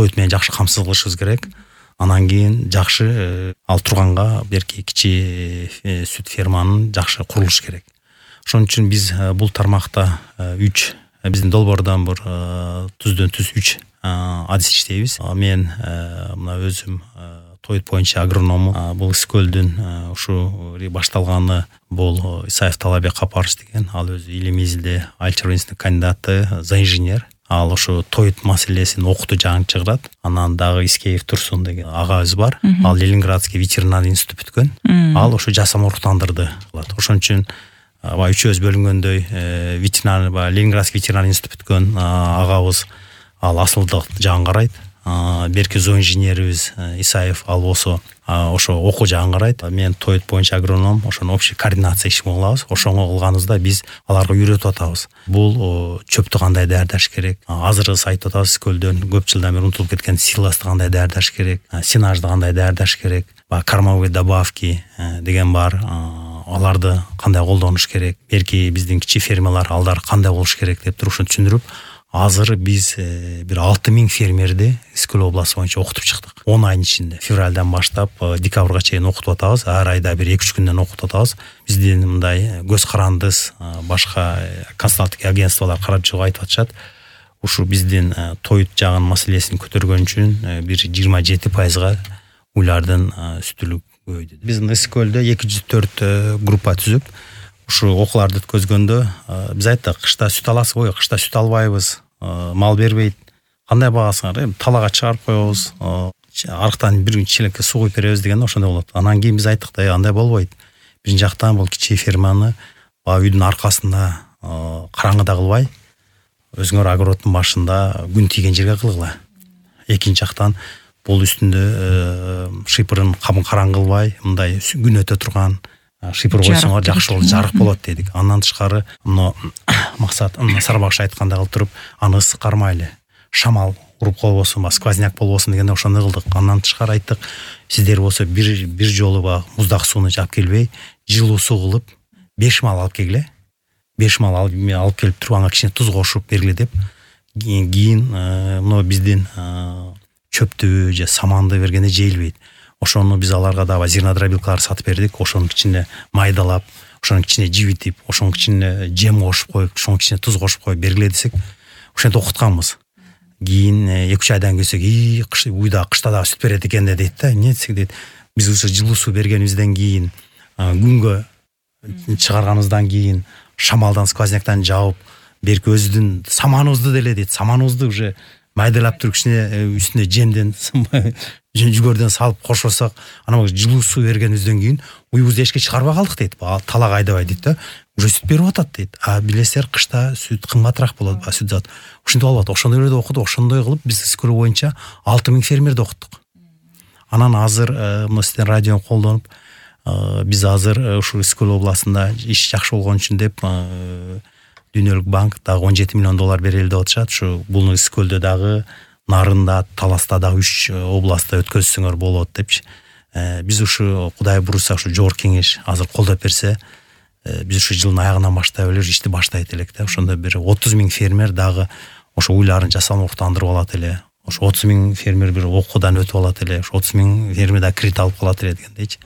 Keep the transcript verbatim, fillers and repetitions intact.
тоют менен жакшы камсыз кылышыбыз керек. Анан кийин жакшы ал турганга берки кичи сүт ферманын жакшы курулуш керек. Ошон үчүн биз бул тармакта үч биздин долбоордон бир түздөн түз үч адис иштейбиз. Мен мына өзүм тоют боюнча агроному. Бул Ысык-Көлдүн ушу башталганы бул Исаев Талабек Капаров деген. Ал өзү илим изилде айыл чарбачылык кандидаты, зооинженер. Ал ошо тоют маселесин окутуу жагын чыгарат. Анан дагы Искеев Турсун деген агабыз бар. Ал Ленинградский ветеринарный институт бүткөн. Ал ошо жасам уруктандырды. Ошон үчүн баа үчөөбүз бөлүнгөндөй ветеринар баа Ленинградский ветеринарный институт бүткөн агабыз ал асылдык жагын карайт. Берки зооинженерибиз Исаев ал болсо ошо окуу жагын карайт. Мен тоют боюнча агроном, ошону общий координация ишин кылабыз. Ошону кылганыбызда биз аларга үйрөтүп атабыз. Бул чөптү кандай даярдаш керек. Азыр айтып атабыз Көлдөн көп жылдан бери унутулуп кеткен силосты кандай даярдаш керек, сенажды кандай даярдаш керек, кормовые добавки деген бар. Аларды кандай колдонуш керек, берки биздин кичи фермалар алдар кандай болуш керек деп туруп ушуну түшүндүрүп, азыр биз бир алты миң фермерди Ысык-Көл областы боюнча окутуп чыктык. он айдын ичинде февралдан баштап декабрга чейин окутуп атабыз. Ар айда бир эки үч күндөн окутуп атабыз. Биздин мындай көз карандыз башка консалтинг агентстволор карап чыгып айтып атышат. Ушу биздин тоют жагын маселесин көтөргөн үчүн бир жыйырма жети пайызга уйлардын сүтүлүк көбөйдү. Биз Ысык-Көлдө эки жүз төрт группа түзүп ушу окууларды өткөзгөндө биз айттык, кышта сүт аласызбы, кышта сүт албайбыз, мал бербейт, кандай багасыңар, талаага чыгарып коебуз, арыктан бир челекке суу куюп беребиз дегенде ошондой болот. Анан кийин биз айттык да, андай болбойт. Биринчи жактан бул кичи ферманы баа үйдүн аркасында караңгыда кылбай, өзүңөр огороддун башында күн тийген жерге кылгыла. Экинчи жактан бул үстүндө шыйпырын кабын караң кылбай, мындай күн өтө турган шыйпыр койсоңор жакшы болот, жарык болот дедик. Андан тышкары мына максат Сарбакшы айткандай кылып туруп, аны ысык кармайлы. Шамал уруп колбосун, сквозняк болбосун дегенде ошондой кылдык. Андан тышкары айттык, сиздер болсо бир бир жолу ба муздак сууну алып келбей, жылуу суу кылып, беш мал алып келгиле. беш мал алып келип туруп, ага кичине туз кошуп бергиле деп. Кийин мына биздин чөптү же саманды бергенде жейилбейт. Ошону биз аларга дагы зернодробилкалар сатып бердик. Ошонун кичине майдалап, ошонун кичине жибитип, ошонун кичине жем кошуп коюп, ошонун кичине туз кошуп коюп бергиле десек, ошентип окутканбыз. Кийин эки үч айдан келсек, "И, уйда кышта дагы сүт берет экен" дейт да. Эмне десек дейт, биз ушу жылуу суу бергенибизден кийин, күнгө чыгарганыбыздан кийин, шамалдан, сквозняктан жаап, берки өзүдүн саманыбызды деле дейт, саманыбызды уже майдалап туруп кичине үстүнө жемден жүгөрдөн салып кошосок, анан жылуу суу бергенибизден кийин уйубузду эшикке чыгарбай калдык дейт. Талак айдабай дейт да. Уже сүт берип атат дейт. А билесиздер, кышта сүт кымбатыраак болот, сүт зат. Ошентип алып, ошондой эле окудук, ошондой кылып биз Ысык-Көл боюнча алты миң фермерди окуттук. Анан азыр мына сиздин радиону колдонуп, биз азыр ушу Ысык-Көл областында иш жакшы болгон үчүн деп Дүйнөлүк банк дагы он жети миллион доллар берели деп атышат. Ушу бул Ысык-Көлдө дагы, Нарында, Таласта дагы үч областта өткөзсөңөр болот депчи. Биз ушу Кудай буйруса ушу жогорку кеңеш азыр колдоп берсе, биз ушу жылдын аягынан баштап эле ишти баштайт элек да. Ошондо бир отуз миң фермер дагы ошо уйларын жасалма уктандырып алат эле. Ошо отуз миң фермер бир окуудан өтүп алат эле. Ошо отуз миң фермер да кредит алып калат эле дегендейчи.